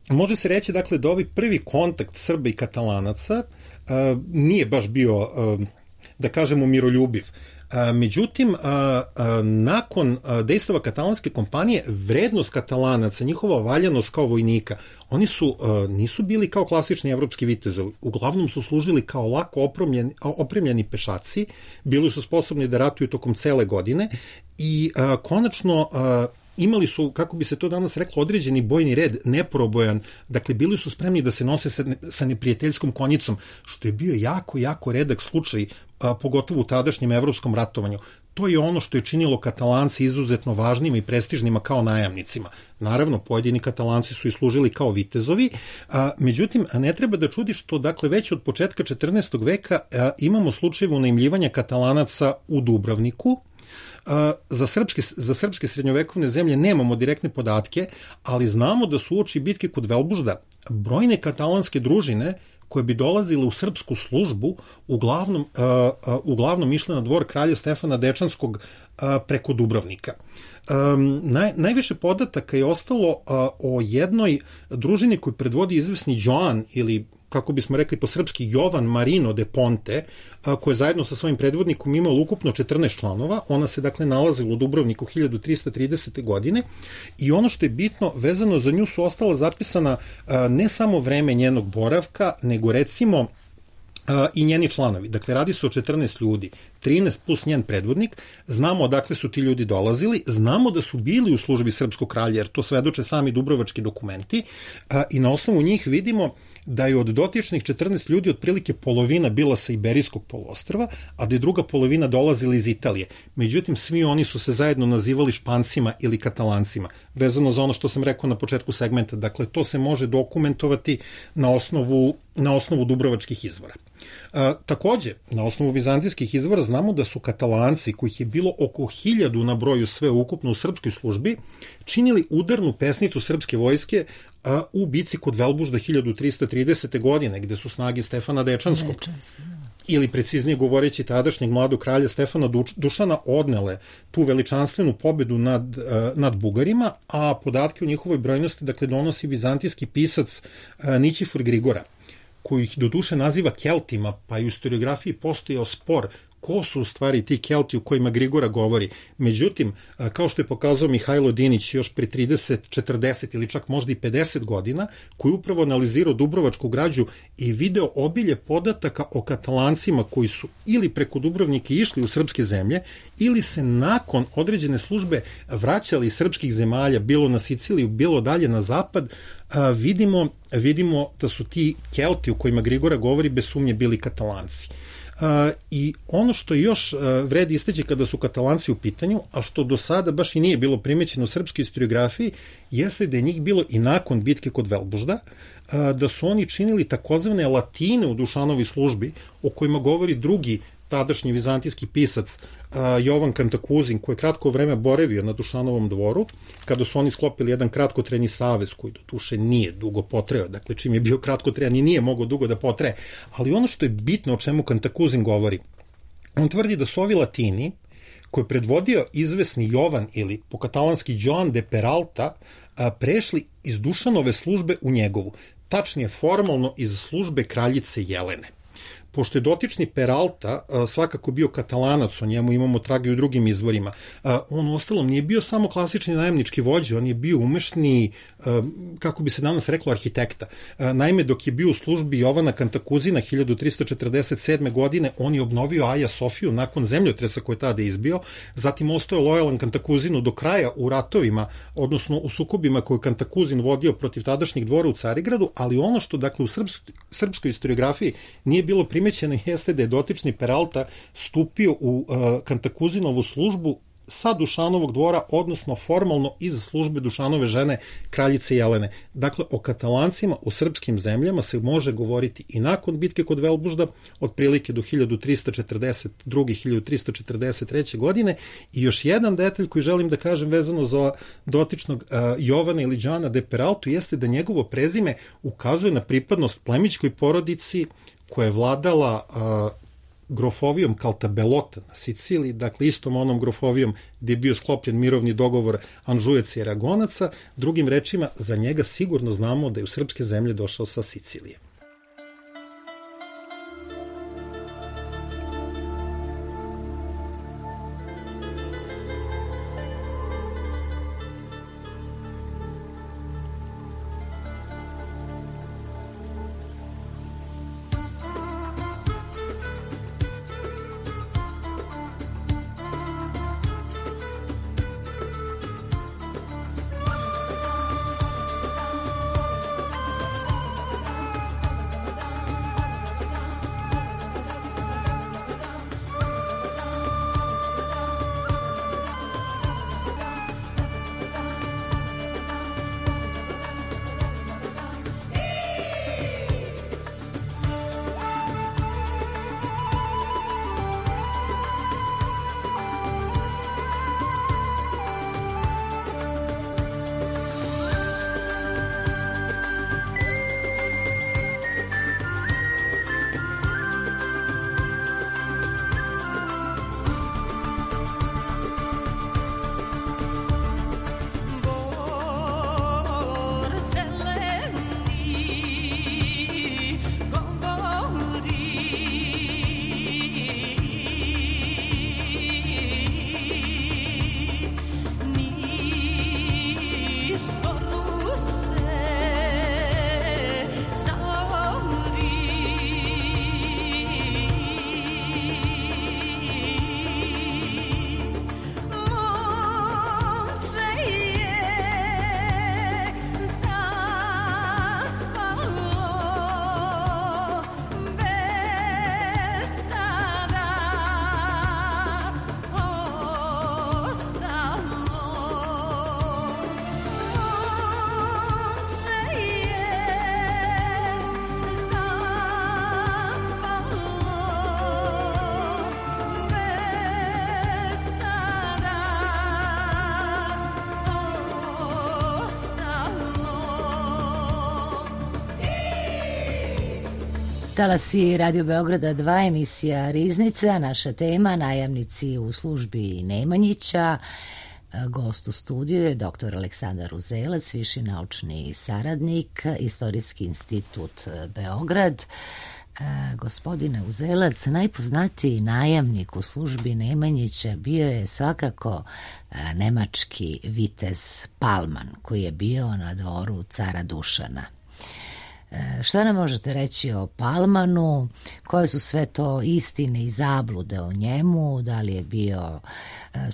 Može se reći, dakle, da ovaj prvi kontakt Srba i Katalanaca uh, nije baš bio, uh, da kažemo, miroljubiv. Uh, međutim, uh, uh, nakon uh, dejstava katalanske kompanije, vrednost Katalanaca, njihova valjanost kao vojnika, oni su, uh, nisu bili kao klasični evropski vitezovi, uglavnom su služili kao lako opremljeni, opremljeni pešaci, bili su sposobni da ratuju tokom cele godine i uh, konačno uh, imali su, kako bi se to danas reklo, određeni bojni red, neprobojan, dakle bili su spremni da se nose sa, sa neprijateljskom konjicom, što je bio jako, jako redak slučaj, a, pogotovo u tadašnjem evropskom ratovanju. to je ono što je činilo Katalanci izuzetno važnima i prestižnima kao najamnicima. Naravno, pojedini Katalanci su i služili kao vitezovi, a, međutim, ne treba da čudi što, dakle, već od početka četrnaestog veka a, imamo slučajeve unajmljivanja Katalanaca u Dubrovniku. Za srpske, za srpske srednjovekovne zemlje nemamo direktne podatke, ali znamo da su uoči bitke kod Velbužda brojne katalanske družine koje bi dolazile u srpsku službu uglavnom, uh, uglavnom išle na dvor kralja Stefana Dečanskog uh, preko Dubrovnika. Um, naj, najviše podataka je ostalo uh, o jednoj družini koju predvodi izvesni Joan ili kako bismo rekli po srpski Jovan Marino de Ponte, koja je zajedno sa svojim predvodnikom imala ukupno četrnaest članova. Ona se dakle nalazila u Dubrovniku hiljadu trista tridesete. godine i ono što je bitno vezano za nju su ostala zapisana ne samo vreme njenog boravka, nego recimo i njeni članovi. Dakle, radi se o četrnaest ljudi, trinaest plus njen predvodnik. Znamo odakle su ti ljudi dolazili, znamo da su bili u službi srpskog kralja, jer to svedoče sami dubrovački dokumenti, i na osnovu njih vidimo da je od dotičnih četrnaest ljudi otprilike polovina bila sa Iberijskog poluostrva, a da je druga polovina dolazila iz Italije. Međutim, svi oni su se zajedno nazivali Špancima ili Katalancima, vezano za ono što sam rekao na početku segmenta. Dakle, to se može dokumentovati na osnovu, na osnovu dubrovačkih izvora. A, takođe, na osnovu vizantijskih izvora znamo da su Katalanci, kojih je bilo oko hiljadu na broju sve ukupno u srpskoj službi, činili udarnu pesnicu srpske vojske a, u bici kod Velbužda hiljadu trista tridesete. godine, gde su snage Stefana Dečanskog, Dečanski, ili preciznije govoreći tadašnjeg mladog kralja Stefana Dušana odnele tu veličanstvenu pobedu nad, nad Bugarima, a podatke o njihovoj brojnosti dakle donosi vizantijski pisac Nićifor Grigora, koji ih do duše naziva Keltima, pa i u historiografiji postojao spor ko su u stvari ti Kelti u kojima Grigora govori. Međutim, kao što je pokazao Mihajlo Dinić još pre trideset, četrdeset ili čak možda i pedeset godina, koji je upravo analizirao dubrovačku građu i video obilje podataka o Katalancima koji su ili preko Dubrovnika išli u srpske zemlje, ili se nakon određene službe vraćali iz srpskih zemalja, bilo na Siciliju, bilo dalje na zapad, a, vidimo, vidimo da su ti Kelti u kojima Grigora govori bez sumnje bili Katalanci. Uh, i ono što još uh, vredi istaći kada su Katalanci u pitanju, a što do sada baš i nije bilo primećeno u srpskoj historiografiji, jeste da je njih bilo i nakon bitke kod Velbužda, uh, da su oni činili takozvane latine u Dušanovoj službi, o kojima govori drugi tadašnji vizantijski pisac uh, Jovan Kantakuzin, koji je kratko vreme boravio na Dušanovom dvoru, kada su oni sklopili jedan kratkotrajni savez koji do duše nije dugo potrajao, dakle čim je bio kratkotrajan i nije mogao dugo da potraje, ali ono što je bitno o čemu Kantakuzin govori, on tvrdi da su ovi latini, koji je predvodio izvesni Jovan ili po katalanski Joan de Peralta, uh, prešli iz Dušanove službe u njegovu, tačnije formalno iz službe kraljice Jelene. Pošto je dotični Peralta svakako bio Katalanac, o njemu imamo trage u drugim izvorima, on u ostalom nije bio samo klasični najamnički vođa, on je bio umešni, kako bi se danas reklo, arhitekta. Naime, dok je bio u službi Jovana Kantakuzina hiljadu trista četrdeset sedme. godine, on je obnovio Aja Sofiju nakon zemljotresa koji je tada izbio, zatim ostao je lojalan Kantakuzinu do kraja u ratovima, odnosno u sukobima koje Kantakuzin vodio protiv tadašnjeg dvora u Carigradu, ali ono što dakle u srpskoj, srpskoj historiografiji nije bilo primećeno jeste da je dotični Peralta stupio u uh, Kantakuzinovu službu sa Dušanovog dvora, odnosno formalno iz službe Dušanove žene kraljice Jelene. Dakle, o Katalancima u srpskim zemljama se može govoriti i nakon bitke kod Velbužda, otprilike do hiljadu trista četrdeset druge. hiljadu trista četrdeset treće. godine. I još jedan detalj koji želim da kažem vezano za dotičnog uh, Jovana ili Joana de Peraltu jeste da njegovo prezime ukazuje na pripadnost plemićkoj porodici koja je vladala uh, grofovijom Caltabellotta na Siciliji, dakle istom onom grofovijom gdje je bio sklopljen mirovni dogovor Anžujaca i Aragonaca. Drugim rečima, za njega sigurno znamo da je u srpske zemlje došao sa Sicilije. Talasi Radio Beograda dva, emisija Riznica, naša tema najamnici u službi Nemanjića. Gost u studiju je doktor Aleksandar Uzelac, viši naučni saradnik, Istorijski institut Beograd. Gospodine Uzelac, najpoznatiji najamnik u službi Nemanjića bio je svakako nemački vitez Palman, koji je bio na dvoru cara Dušana. Šta nam možete reći o Palmanu? Koje su sve to istine i zablude o njemu? Da li je bio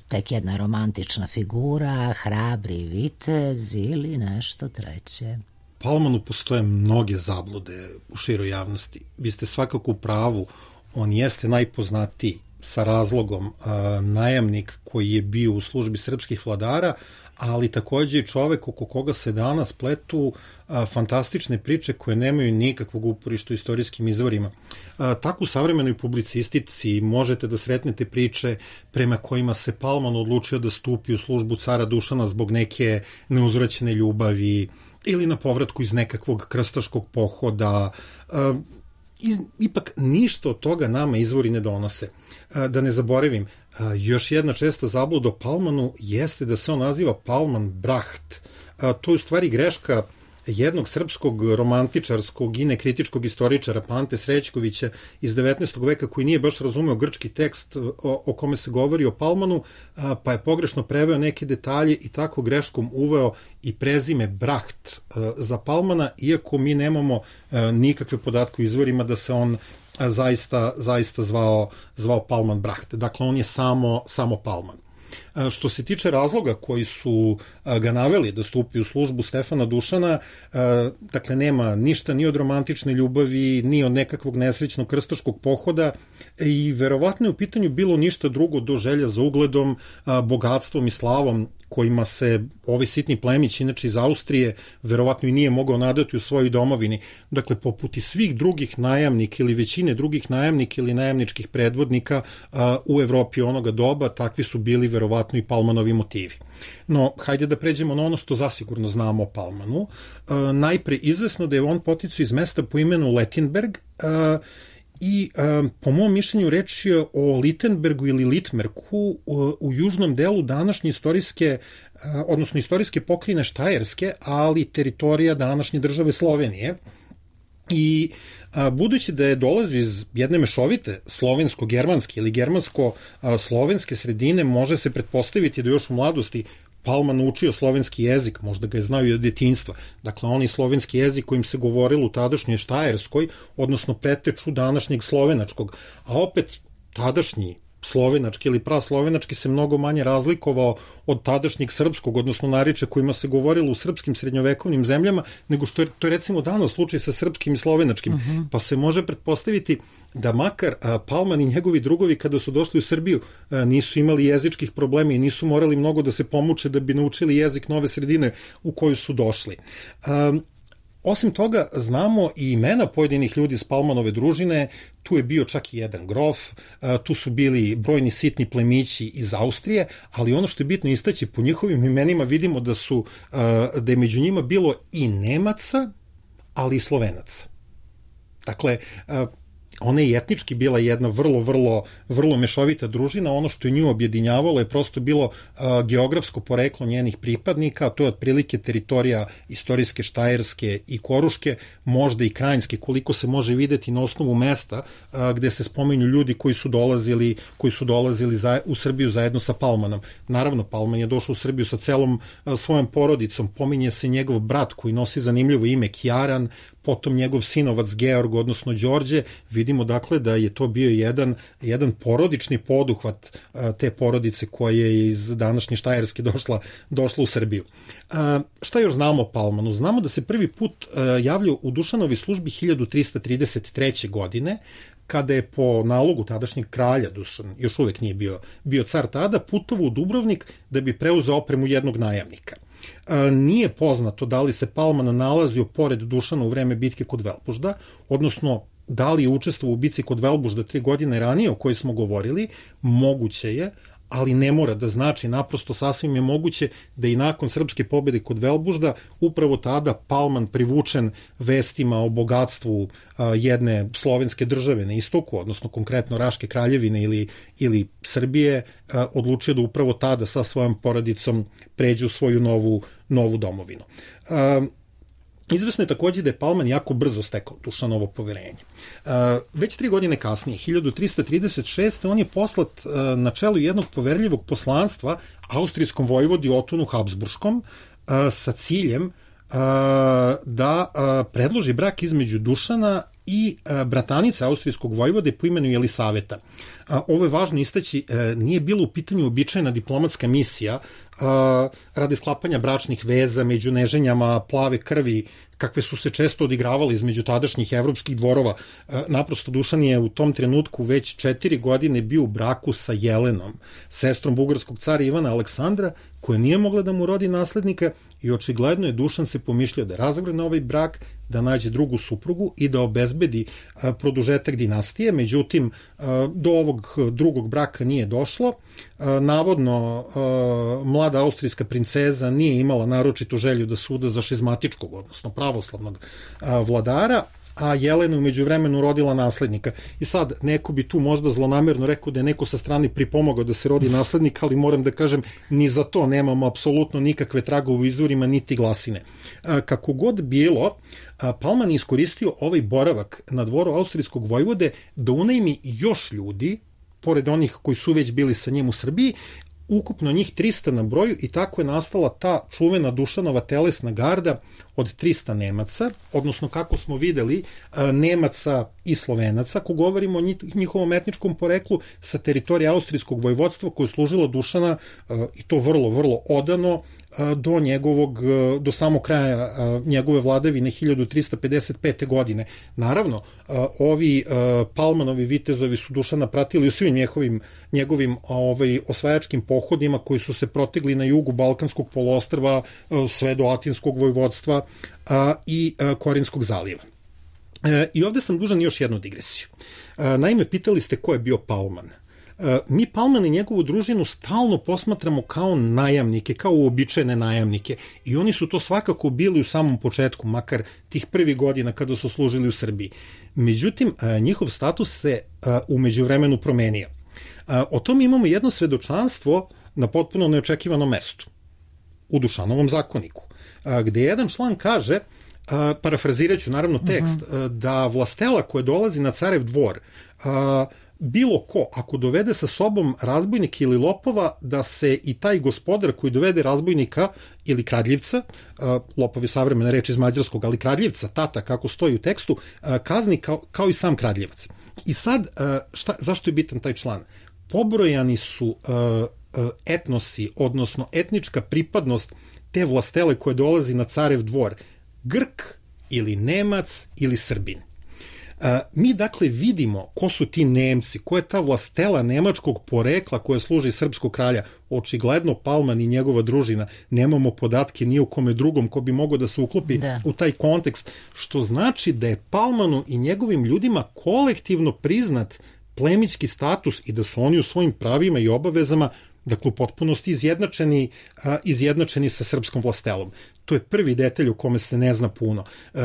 tek jedna romantična figura, hrabri vitez ili nešto treće? Palmanu postoje mnoge zablude u široj javnosti. Vi ste svakako u pravu, on jeste najpoznatiji sa razlogom a, najamnik koji je bio u službi srpskih vladara, ali takođe i čovek oko koga se danas pletu a, fantastične priče koje nemaju nikakvog uporišta u istorijskim izvorima. A, tako u savremenoj publicistici možete da sretnete priče prema kojima se Palman odlučio da stupi u službu cara Dušana zbog neke neuzvraćene ljubavi ili na povratku iz nekakvog krstaškog pohoda. A, ipak ništa od toga nama izvori ne donose. Da ne zaboravim, još jedna česta zabluda o Palmanu jeste da se on naziva Palman Bracht. To je u stvari greška jednog srpskog romantičarskog i nekritičkog istoričara Pante Srećkovića iz devetnaestog veka, koji nije baš razumeo grčki tekst o, o kome se govori o Palmanu, pa je pogrešno preveo neke detalje i tako greškom uveo i prezime Bracht za Palmana, iako mi nemamo nikakve podatke u izvorima da se on zaista, zaista zvao, zvao Palman Bracht. Dakle, on je samo, samo Palman. Što se tiče razloga koji su ga naveli da stupi u službu Stefana Dušana, dakle nema ništa ni od romantične ljubavi, ni od nekakvog nesrećnog krstaškog pohoda i verovatno je u pitanju bilo ništa drugo do želja za ugledom, bogatstvom i slavom kojima se ovaj sitni plemić, inače iz Austrije, verovatno i nije mogao nadati u svojoj domovini. Dakle, poput i svih drugih najamnika ili većine drugih najamnika ili najamničkih predvodnika a, u Evropi onoga doba, takvi su bili verovatno i Palmanovi motivi. No, hajde da pređemo na ono što zasigurno znamo o Palmanu. A, najpre izvesno da je on poticao iz mesta po imenu Lettenberg, a, i um, po mom mišljenju reč je o Littenbergu ili Litmerku u, u južnom delu današnje istorijske, uh, odnosno istorijske pokrajine Štajerske, ali teritorija današnje države Slovenije. I a, budući da je dolazi iz jedne mešovite slovensko-germanske ili germansko-slovenske sredine, može se pretpostaviti da još u mladosti Palman učio slovenski jezik, možda ga je znao i od detinjstva. Dakle, onaj slovenski jezik kojim se govorilo u tadašnjoj Štajerskoj, odnosno preteču današnjeg slovenačkog, a opet tadašnji slovenački ili praslovenački se mnogo manje razlikovao od tadašnjeg srpskog, odnosno narečja kojima se govorilo u srpskim srednjovekovnim zemljama, nego što je to je recimo danas slučaj sa srpskim i slovenačkim. Uh-huh. Pa se može pretpostaviti da makar a, Palman i njegovi drugovi kada su došli u Srbiju a, nisu imali jezičkih problema i nisu morali mnogo da se pomuče da bi naučili jezik nove sredine u koju su došli. A, Osim toga, znamo i imena pojedinih ljudi iz Palmanove družine, tu je bio čak i jedan grof, tu su bili brojni sitni plemići iz Austrije, ali ono što je bitno istaći, po njihovim imenima vidimo da su, da je među njima bilo i Nemaca, ali i Slovenaca. Dakle, ona je etnički bila jedna vrlo, vrlo, vrlo mešovita družina. Ono što je nju objedinjavalo je prosto bilo uh, geografsko poreklo njenih pripadnika, a to je otprilike teritorija istorijske Štajerske i Koruške, možda i Krajinske, koliko se može videti na osnovu mesta uh, gde se spominju ljudi koji su dolazili, koji su dolazili za, u Srbiju zajedno sa Palmanom. Naravno, Palman je došao u Srbiju sa celom uh, svojom porodicom. Pominje se njegov brat koji nosi zanimljivo ime Kjaran, potom njegov sinovac Georg, odnosno Đorđe. Vidimo dakle da je to bio jedan, jedan porodični poduhvat a, te porodice koja je iz današnje Štajerske došla, došla u Srbiju. A, šta još znamo o Palmanu? Znamo da se prvi put a, javljao u Dušanovi službi hiljadu trista trideset treće. godine, kada je po nalogu tadašnjeg kralja, Dušan još uvek nije bio, bio car tada, putovao u Dubrovnik da bi preuzeo opremu jednog najamnika. Nije poznato da li se Palman nalazio pored Dušana u vreme bitke kod Velbužda, odnosno da li je učestvovao u bici kod Velbužda tri godine ranije o kojoj smo govorili, moguće je, ali ne mora da znači, naprosto sasvim je moguće da i nakon srpske pobjede kod Velbužda upravo tada Palman, privučen vestima o bogatstvu a, jedne slovenske države na istoku, odnosno konkretno Raške kraljevine ili, ili Srbije, a, odlučio da upravo tada sa svojom porodicom pređe u svoju novu, novu domovinu. A, Izvesno je takođe da je Palman jako brzo stekao Dušanovo poverenje. Već tri godine kasnije, hiljadu trista trideset šeste. on je poslat na čelu jednog poverljivog poslanstva austrijskom vojvodi Otonu Habsburškom sa ciljem da predloži brak između Dušana i bratanice austrijskog vojvode po imenu Jelisaveta. Ovo je važno istaći, nije bilo u pitanju običajna diplomatska misija radi sklapanja bračnih veza među neženjama plave krvi, kakve su se često odigravali između tadašnjih evropskih dvorova. Naprosto Dušan je u tom trenutku već četiri godine bio u braku sa Jelenom, sestrom bugarskog cara Ivana Aleksandra, koja nije mogla da mu rodi naslednika i očigledno je Dušan se pomišljao da razvrgne ovaj brak, da nađe drugu suprugu i da obezbedi produžetak dinastije. Međutim, do ovog drugog braka nije došlo. Navodno, mlada austrijska princeza nije imala naročitu želju da suda za šizmatičkog, odnosno pravoslavnog vladara, a Jelena u međuvremenu rodila naslednika. I sad, neko bi tu možda zlonamerno rekao da je neko sa strane pripomogao da se rodi naslednik, ali moram da kažem, ni za to nemamo apsolutno nikakve tragove u izvorima, niti glasine. Kako god bilo, Palman je iskoristio ovaj boravak na dvoru austrijskog vojvode da unajmi još ljudi, pored onih koji su već bili sa njim u Srbiji, ukupno njih trista na broju, i tako je nastala ta čuvena Dušanova telesna garda od trista Nemaca, odnosno, kako smo videli, Nemaca i Slovenaca, ako govorimo o njihovom etničkom poreklu, sa teritorije austrijskog vojvodstva koje je služilo Dušana, i to vrlo, vrlo odano, do njegovog, do samog kraja njegove vladavine hiljadu trista pedeset pete. godine. Naravno, ovi Palmanovi vitezovi su Dušana pratili u svim njegovim, njegovim ovaj, osvajačkim pohodima koji su se protegli na jugu Balkanskog poluostrva sve do Atinskog vojvodstva i Korinskog zaliva. I ovde sam dužan još jednu digresiju. Naime, pitali ste ko je bio Palman. Mi Palman i njegovu družinu stalno posmatramo kao najamnike, kao uobičajene najamnike, i oni su to svakako bili u samom početku, makar tih prvih godina kada su služili u Srbiji. Međutim, njihov status se u međuvremenu promenio. O tom imamo jedno svedočanstvo na potpuno neočekivanom mestu, u Dušanovom zakoniku, gde jedan član kaže, parafraziraću naravno tekst, uh-huh. da vlastela koja dolazi na carev dvor, bilo ko, ako dovede sa sobom razbojnika ili lopova, da se i taj gospodar koji dovede razbojnika ili kradljivca, lopov je savremena reč iz mađarskog, ali kradljivca, tata, kako stoji u tekstu, kazni kao, kao i sam kradljivac. I sad, šta, zašto je bitan taj član? Pobrojani su etnosi, odnosno etnička pripadnost te vlastele koje dolazi na carev dvor, Grk ili Nemac ili Srbin. Mi dakle vidimo ko su ti Nemci, ko je ta vlastela nemačkog porekla koja služi srpskog kralja. Očigledno Palman i njegova družina, nemamo podatke ni u kome drugom ko bi mogao da se uklopi da. u taj kontekst, što znači da je Palmanu i njegovim ljudima kolektivno priznat plemićki status i da su oni u svojim pravima i obavezama, dakle u potpunosti izjednačeni, izjednačeni sa srpskom vlastelom. To je prvi detalj o kome se ne zna puno.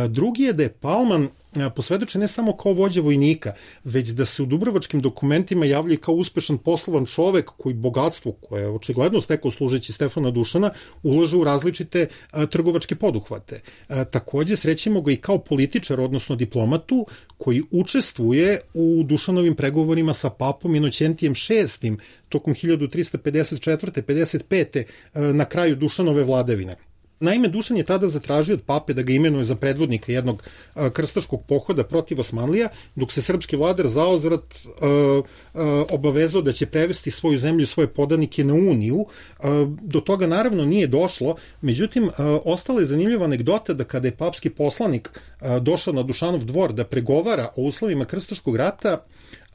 Drugi je da je Palman posvedočen ne samo kao vođa vojnika, već da se u dubrovačkim dokumentima javlja kao uspešan poslovan čovek koji bogatstvo, koje je očigledno stekao služeći Stefana Dušana, ulaže u različite a, trgovačke poduhvate. A, takođe srećemo ga i kao političar, odnosno diplomatu, koji učestvuje u Dušanovim pregovorima sa papom Inoćentijem šestim tokom hiljadu trista pedeset četvrte pedeset pete. A, na kraju Dušanove vladavine. Naime, Dušan je tada zatražio od pape da ga imenuje za predvodnika jednog a, krstaškog pohoda protiv Osmanlija, dok se srpski vladar zauzvrat a, a, obavezao da će prevesti svoju zemlju i svoje podanike na Uniju. A, do toga naravno nije došlo, međutim, a, ostala je zanimljiva anegdota da kada je papski poslanik a, došao na Dušanov dvor da pregovara o uslovima krstaškog rata,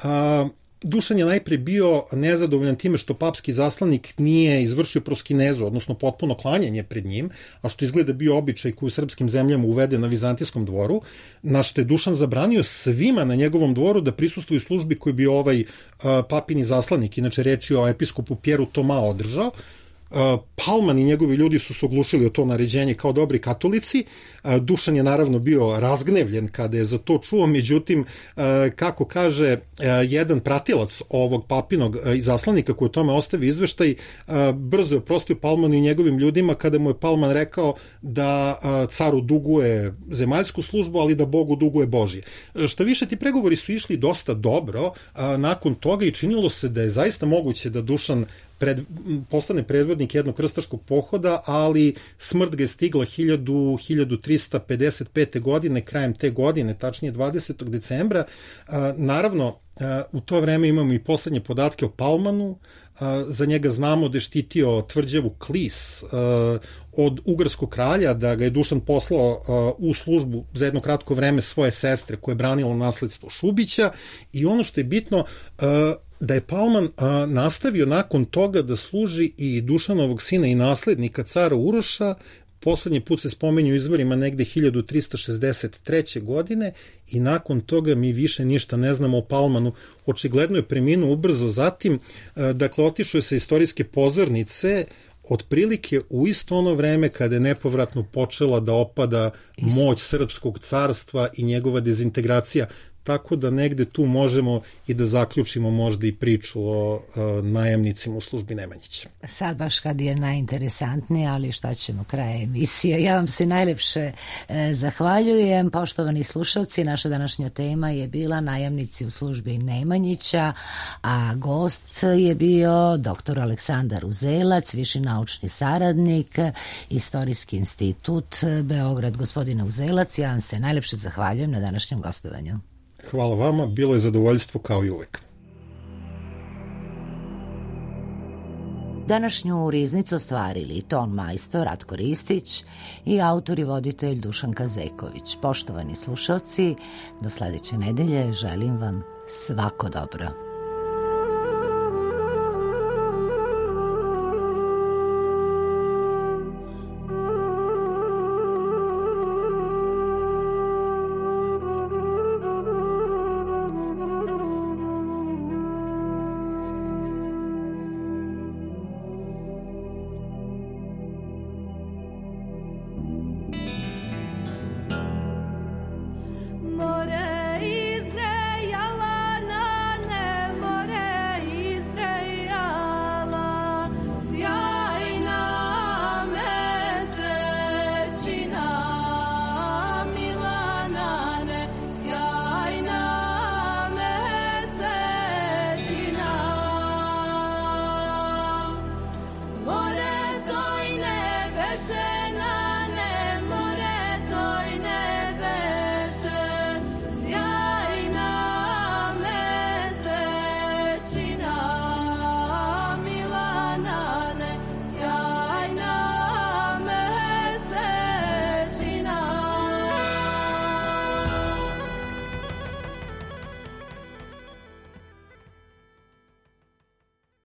a, Dušan je najpre bio nezadovoljan time što papski zaslanik nije izvršio proskinezu, odnosno potpuno klanjanje pred njim, a što izgleda bio običaj koji u srpskim zemljama uvede na vizantijskom dvoru, na što je Dušan zabranio svima na njegovom dvoru da prisustvuju službi koju bi ovaj papini zaslanik, inače reč je o episkopu Pjeru Toma, održao. Palman i njegovi ljudi su se oglušili o to naređenje kao dobri katolici. Dušan je naravno bio razgnevljen kada je za to čuo, međutim, kako kaže jedan pratilac ovog papinog zaslanika koji o tome ostavi izveštaj, brzo je oprostio Palmanu i njegovim ljudima kada mu je Palman rekao da caru duguje zemaljsku službu, ali da Bogu duguje Božje. Šta više, ti pregovori su išli dosta dobro nakon toga i činilo se da je zaista moguće da Dušan Pred, postane predvodnik jednog krstaškog pohoda, ali smrt ga je stigla hiljadu trista pedeset pete. godine, krajem te godine, tačnije dvadesetog decembra. Naravno, u to vreme imamo i poslednje podatke o Palmanu. Za njega znamo da je štitio tvrđavu Klis od ugarskog kralja, da ga je Dušan poslao u službu za jedno kratko vreme svoje sestre koje je branilo nasledstvo Šubića, i ono što je bitno, da je Palman a, nastavio nakon toga da služi i Dušanovog sina i naslednika cara Uroša. Poslednji put se spomenju u izvorima negde hiljadu trista šezdeset treće. godine i nakon toga mi više ništa ne znamo o Palmanu. Očigledno je preminuo ubrzo zatim, a, dakle otišao je sa istorijske pozornice otprilike u isto ono vreme kada je nepovratno počela da opada moć srpskog carstva i njegova dezintegracija. Tako da negde tu možemo i da zaključimo možda i priču o, o najamnicima u službi Nemanjića. Sad baš kad je najinteresantnije, ali šta ćemo, kraje emisije. Ja vam se najlepše e, zahvaljujem. Poštovani slušalci, naša današnja tema je bila najamnici u službi Nemanjića, a gost je bio doktor Aleksandar Uzelac, viši naučni saradnik, Istorijski institut Beograd. Gospodine Uzelac, ja vam se najlepše zahvaljujem na današnjem gostovanju. Hvala vama, bilo je zadovoljstvo kao i uvek. Današnju riznicu ostvarili ton majstor Ratko Ristić i autor i voditelj Dušan Kazeković. Poštovani slušalci, do sledeće nedelje želim vam svako dobro.